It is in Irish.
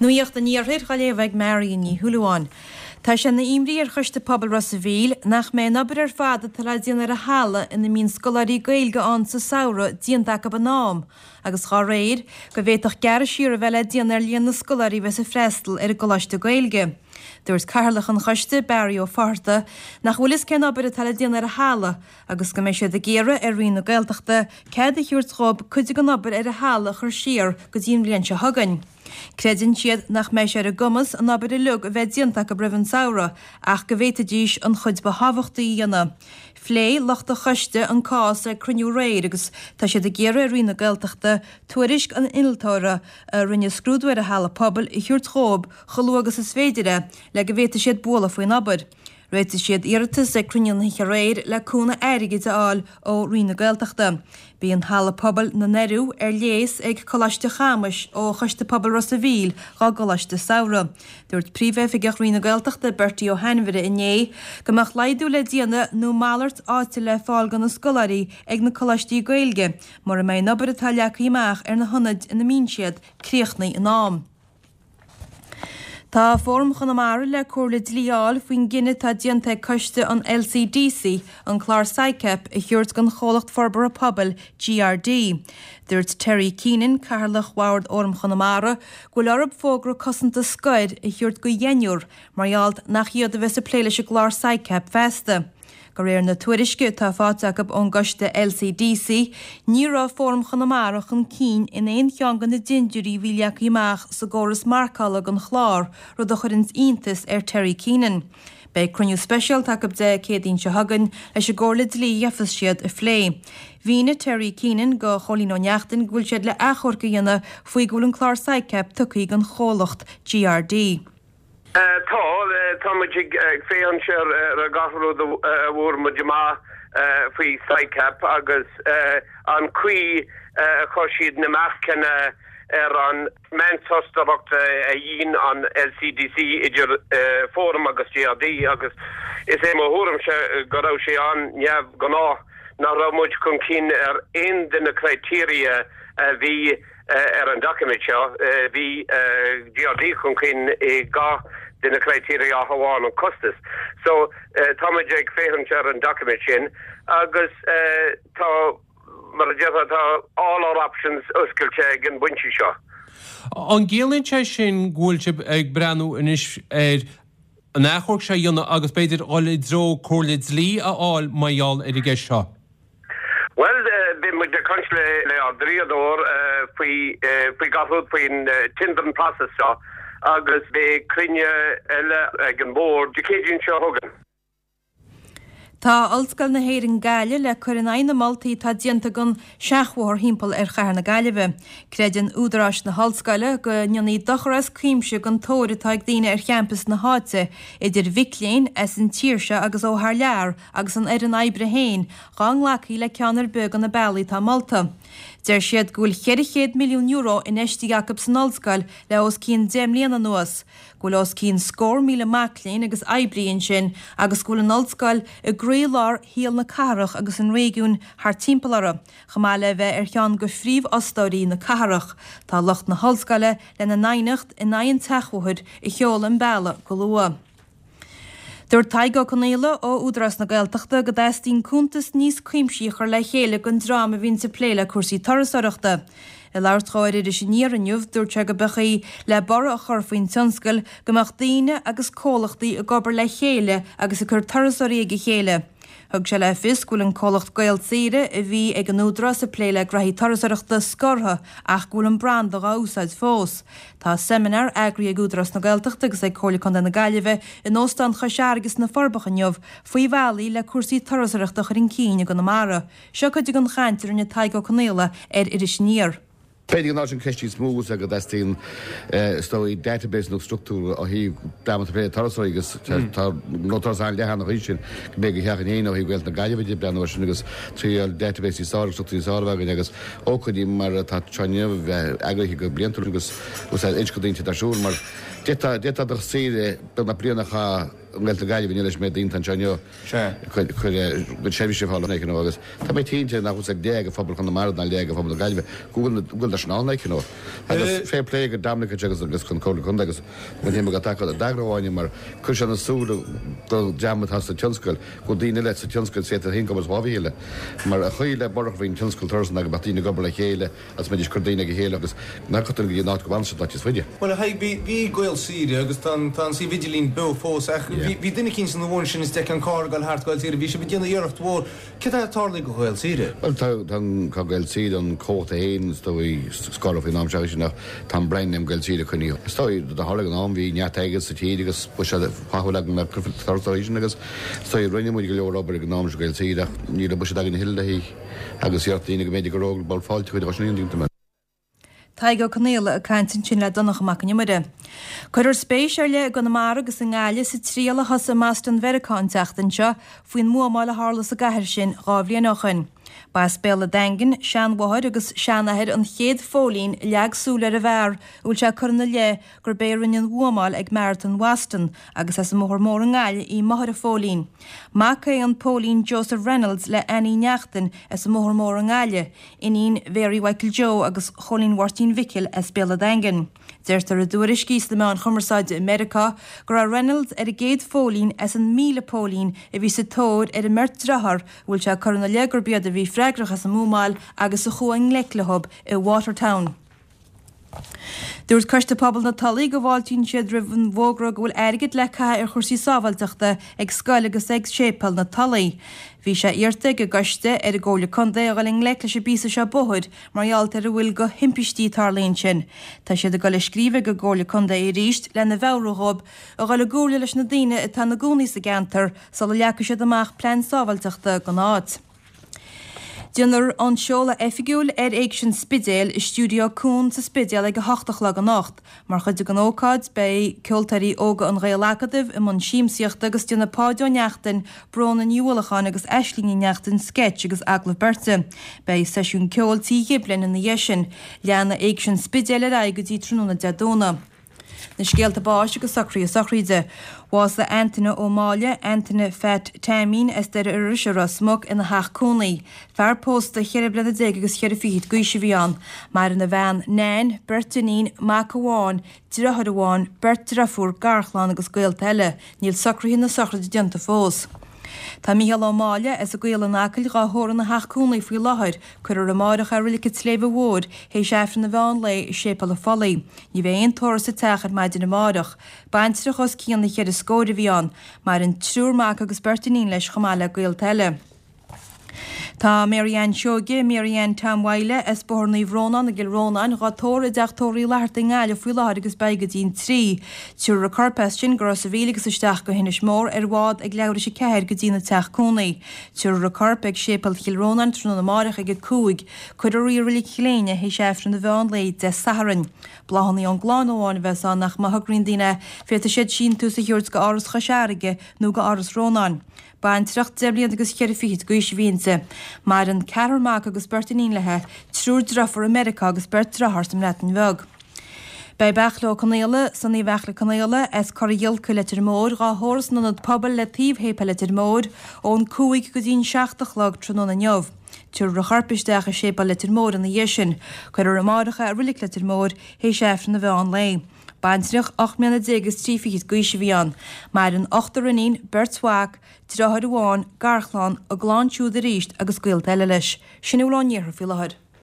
Nuacht an Iarthair á léamh ag Marion Ní Shúilleabháin. Tá sé ina imní ar Choiste Pobail Ros a' Mhíl nach mbeidh an obair ar fad atá le déanamh ar an halla ina mbíonn scoláirí Gaeilge ann sa samhradh déanta acu in am agus dá réir, go bhféadfadh gearradh siar a bheith le déanamh ar líon na scoláirí a bheas ag freastal ar an gcoláiste Gaeilge. Dúirt Cathaoirleach an choiste, Barry Ó Fátharta, nach bhfuil fhios cén obair atá le déanamh ar an halla agus go mbeidh siad ag iarraidh ar Roinn na Gaeltachta cead a thabhairt dhóibh cuid den obair ar an halla a chur siar go dtí an bhliain seo chugainn. Creideann siad nach mbeidh sé ar a gcumas an obair uilig a bheith déanta acu roimh an samhradh ach go bhféadfaidís an chuid ba thábhachtaí a dhéanamh. Phléigh lucht an choiste an cás ag cruinniú aréir agus tá siad ag iarraidh ar Roinn na Gaeltachta tuairisc an innealtóra a rinne scrúdú ar an halla pobail a thabhairt dhóibh chomh luath agus is féidir é le go bhféadfaidh siad bualadh faoin obair. Réitigh siad iarratas ag cruinniú na hoíche aréir le cúnamh airgid a fháil ó Roinn na Gaeltachta. Bíonn Halla Pobail na nDoiriú ar léas ag Coláiste Chamuis ó Choiste Pobail Ros a' Mhíl dhá gcoláiste samhraidh. Dúirt Príomhoifigeach Roinn na Gaeltachta, Bertie Ó hAinmhire inné go mbeadh laghdú le déanamh nó malairt áite le fáil do na scoláirí ag na coláistí Gaeilge mura mbeidh an obair atá leagtha amach ar na hionaid ina mbíonn siad críochnaithe in am. Tá Fóram Chonamara le comhairle dlí a fháil faoin gcinneadh atá déanta ag coiste an LCDC an clár SICAP a thabhairt don chomhlacht forbartha pobail GRD. Dúirt Terry Keenan, Cathaoirleach Bhord Fhóram Chonamara, go bhfuil orthu fógra cosanta scoir a thabhairt do dheichniúr mar gheall nach iad a bheas ag plé leis an gclár SICAP feasta. De réir na tuairisce atá faighte acu ón gcoiste LCDC, ní raibh Fóram Chonamara chun cinn in aon cheann de na dindiúirí a bhí leagtha amach sa gcóras marcála don chlár, rud a chuireanns iontas ar Terry Keenan. Beidh cruinniú speisialta acu Dé Céadaoin seo chugainn leis an gcomhairle dlí a gheofas siad a phlé. Mhínigh Terry Keenan do Chóilín Ó Neachtain go bhfuil siad le achomharc a dhéanamh faoi go bhfuil an clár SICAP tugtha don chomhlacht GRD. Tá, tá muid ag féachaint ar gach rud a bhfuair muid amach faoi SICAP agus an chaoi a chuir siad na marcanna ar an meántostaireacht a dhein an LCDC idir Fóram agus GRD agus is é mo thuairimse go raibh sé an-neamhghnách nach raibh muid chun cinn ar aon de na criteria a bhí Ar an doiciméad seo, bhí GRD chun cinn i gach de na criteria ach amháin an costas. So, táimid ag féachaint ar an doiciméad sin agus tá, mar a déarfá, tá all our options oscailte ag an bpointe seo. An gciallaíonn sé sin go bhfuil sibh ag breathnú anois ar an achomharc seo a dhéanamh agus b'fhéidir dhul i dtreo comhairle dlí a fháil mar gheall ar an gceist seo? Bhuel, beidh muid ag caint le ár dlíodóir faoi faoi gach rud faoin tendering process seo agus beidh cruinniú eile ag an mbord Dé Céadaoin seo chugainn. Tá Ollscoil na hÉireann Gaillimh le cur in aghaidh na moltaí atá déanta don seachbhóthar thimpeall ar chathair na Gaillimhe. Creideann údaráis na hollscoile go ndéanfaí dochar as cuimse don tóir atá ag daoine ar champas na háite, idir mhic léinn as an tír seo agus ó thar lear, agus an fhoireann oibre féin, dá nglacfaí le ceann ar bith de na bealaí atá molta. Deir siad go bhfuil €400 milliún infheistithe acu san ollscoil le os cionn 10 mbliana anuas, go bhfuil os cionn scór míle mac léinn agus oibrí ansin agus go bhfuil an ollscoil i gcroílár shaol na cathrach agus an réigiúin thart timpeall uirthi, chomh maith le bheith ar cheann de phríomhfhostóirí na cathrach. Tá lucht na hollscoile lena n-aighneacht in aghaidh an tseachbhóthair a sheoladh an bealach go luath. Dúirt Tadhg Ó Conghaile ó Údarás na Gaeltachta go dteastaíonn cuntas níos cuimsí a chur le chéile don dream a bhíonns ag plé le cúrsaí turasóireachta. Ag labhairt dhó ar Iris Aniar inniu, dúirt sé go mba chaoi le borradh a chur faoin tionscal go mbeadh daoine agus comhlachtaí ag obair le chéile agus ag cur turasóirí ag a chéile. Thug sé le fios go bhfuil an comhlacht Gaelsaoire a bhí ag an Údarás ag plé le graithí turasóireachta scortha ach go bhfuil an branda dhá úsáid fós. Tá seimineár eagraithe ag Údarás na Gaeltachta agus ag Comhairle Contae na Gaillimhe in Óstán Chois Fharraige sna Forbacha inniu faoi bhealaí le cúrsaí turasóireachta a chur chun cinn i gConamara. Seo cuid den chaint a rinne Tadhg Ó Conghaile ar Iris Aniar. B'fhéidir an áit an cheist níos mó is ea go dteastaíonn is dóigh database nó struchtúr ó thaobh dream atá ag plé le turasóirí agus tá gnó turas an-leathan an chaoi sin go mbeidh go theach in Éirinn ó thaobh Gaeltacht na Gaillimhe de breathnú air sin agus triail database níos fearr agus struchtúr níos fearr a bheith againn agus ócáidí mar atá seo inniu a bheith eagraithe go bliantúil agus úsáid inse go daoine ar siúl mar d'fhéadfá do shaoire beagnach bliain a chaitheamh. i nGaeltacht na Gaillimhe inniu leis an méid daoine atá anseo inniu. Cuir cuid seirbhísí ar fáil like you know agus tá mé cinnte nach bhfuil leath de phobal Chonamara ná leath de phobal na Gaillimhe go bhfuil go bhfuil sin ann like you know. Agus fair play go Dominic agus agus chun Comhairle Contae agus an t-am atá acu d'eagrú Áine mar chuir sé na súile do dream atá sa tionscal go bhfuil daoine eile sa tionscal is féidir féin go obair sa mhíle mar a chuir le borradh faoin tionscal turas ná go mbeadh daoine ag obair le chéile Agus mbeidís ag cur daoine ag a chéile agus nach go dtí an áit go bhfanann siad áit is faide. Bhuel, a Thaidhg, bhí, bhí Gaelsaoire agus tá an, tá an suíomh idirlín beo fós ach bhí, bhí duine eicínt san bhun sin is d'fheicfeá an carr ag dul thart Gaelsaoire, bhí sibh ag déanamh iarracht mhór. Céard atá tarlaithe go Ghaelsaoire? Bhuel, tá, tá an, tá Gaelsaoire, an comhlacht é féin, is dóigh, scartha faoin am seo sin ach tá an brand name Gaelsaoire coinnithe. Is dóigh, do tharla ag an am, bhí neart airgid sa tír agus buiséad flaithiúil againn le cur turasóirí sin agus is dóigh rinne muid go leor obair ag an am sin Gaelsaoire ach ní raibh buiséad againn a thuilleadh le haghaidh Agus iarracht daoine go mb'fhéidir go raibh ball fáilte chuid dhá sin aon mé. Tadhg Ó Conaola ag caint ansin le Donncha Mac an Iomaire. Cuirfear spéis ar leith i gConamara agus i nGaillimh sa triail a thosaigh i mBoston Mheiriceá an tseachtain seo faoin mbuamáil a tharla sa gcathair sin 2 bhliain ó shoin. Ba as Béal a' Daingin, seanmháthair agus seanathair an chéad phóilín a leag súil ar an bhfear a bhfuil sé curtha ina leith gurb é a rinne an bhuamáil ag Marathon Bhoston agus as an mBóthar Mór i nGaillimh í máthair an phóilín. Mac é an póilín Joseph Reynolds le Annie Neachtain as an mBóthar Mór i nGaillimh, iníon Mhary Mhichael Joe agus Chóilín Mháirtín Mhicil as Béal a' Daingin. Deirtear i dtuairiscí sna meáin chumarsáide i Meiriceá go raibh Reynolds ar an gcéad phóilín as an 1,000 póilín a bhí sa tóir ar an mbeirt dearthár a bhfuil sé curtha ina leith gurb iad a bhí freagrach as an mbuamáil agus a chuaigh i ngleic leo i Watertown. Dúirt Coiste Pobail na Tulaí go bhfáiltíonn siad roimh an bhfógra go bhfuil airgead le caitheamh ar chúrsaí sábháilteachta ag scoil agus ag séipéal na Tulaí. Bhí sé iarrta ag an gcoiste ar an gComhairle Contae a dhul i ngleic leis an bpíosa seo bóthair mar gheall ar a bhfuil go thimpistí a tarlaíonn ansin. Tá siad ag dul ag scríobh ag an gComhairle Contae arís lena mheabhrú dhóibh a dhul i gcomhairle leis na daoine atá ina gcónaí sa gceantar sula leagfaidh siad amach plean sábháilteachta don áit. Déanfar an seoladh oifigiúil ar Éigse an Spidéil i Stiúideo Cuan sa Spidéal ag 8 a chlog anocht. Mar chuid den ócáid, beidh ceoltóirí óga an Ghael-Acadaimh i mbun siamsaíochta agus déanfaidh Páid Ó Neachtain, Bróna Ní Uallacháin agus Aisling Ní Neachtain sceits agus agallamh beirte. Beidh seisiún ceoil Tí Ghiblin ina dhiaidh sin. Leanfaidh Éigse an Spidéil ar aghaidh go dtí tráthnóna Dé Domhnaigh. Na scéalta báis agus socruithe sochraide. Bhásaigh Antaine Ó Máille, Antaine Phat Teaimín as Doire Iorrais i Ros Muc ina theach cónaí. Fear pósta cheithre bliana déag agus cheithre fichid d'aois a bhí ann. Maireann a bhean Nan, beirt iníon, mac amháin, driotháir amháin, beirt driofúr, garchlann agus gaolta eile. Níl socruithe na sochraide déanta fós. Tá Mícheál Ó Máille as an gCaol in Acaill dhá thórramh ina theach cónaí faoi láthair. Cuirfear amáireach é i Reilig an tSléibhe Mhóir théis Aifreann an mheán lae i Séipéal an Phollaigh. Ní bheidh aon tórramh sa teach ar maidin amáireach. Baintreach os cionn na cheithre scóir a bhí ann. Maireann triúr mac agus beirt iníon leis chomh maith le gaolta eile. Tá Mary Ann Seoige, Mary Ann Tom Mhaidhle, as Bóthar Naomh Rónán i gCill Rónáin, dhá tórramh i dteach tórraimh Uí Fhlatharta i nGaillimh faoi láthair agus beidh go dtí'n 3. Tabharfar a corp as sin go Ros a' Mhíl agus isteach go hInis Mór ar bhád ag leathuair théis a 4 go dtína teach cónaí. Tabharfar a corp ag Séipéal Chill Rónáin tráthnóna amáireach ag 5. Cuirfear í i Reilig Chill Éinne théis Aifreann an mheán lae Dé Sathairn. Bláthanna ón gclann amháin a bheas ann ach má thograíonn daoine féadfaidh siad síntiús a thabhairt go Áras Chois Fharraige nó go Áras Rónáin. Baintreach deich mbliana agus cheithre fichid d'aois a bhí inti. Maireann ceathrar mac agus beirt iníon léi, triúr driofúr i Meiriceá agus beirt driotháir sa mBreatain Bheag. Beidh Beairtle Ó Conaola, Sonaí Bheairtle Conaola, as Cora Ghiolca, Leitir Móir, dhá thórramh san Ionad Pobail le taobh Shéipéal Leitir Móir, ón 5 go dtí'n 7 a chlog tráthnóna inniu. Tabharfar a chorp isteach i Séipéal Leitir Móir ina dhiaidh sin. Cuirfear amáireach é i Reilig Leitir Móir théis Aifreann an mheán lae. Baintreach 18 mbliana agus 3 fichid d'aois a bhí ann. Maireann ochtar iníon, beirt mhac, driotháir amháin, garchlann, a gclann siúd arís agus gaolta eile leis. Sin a bhfuil ón iarthar faoi láthair.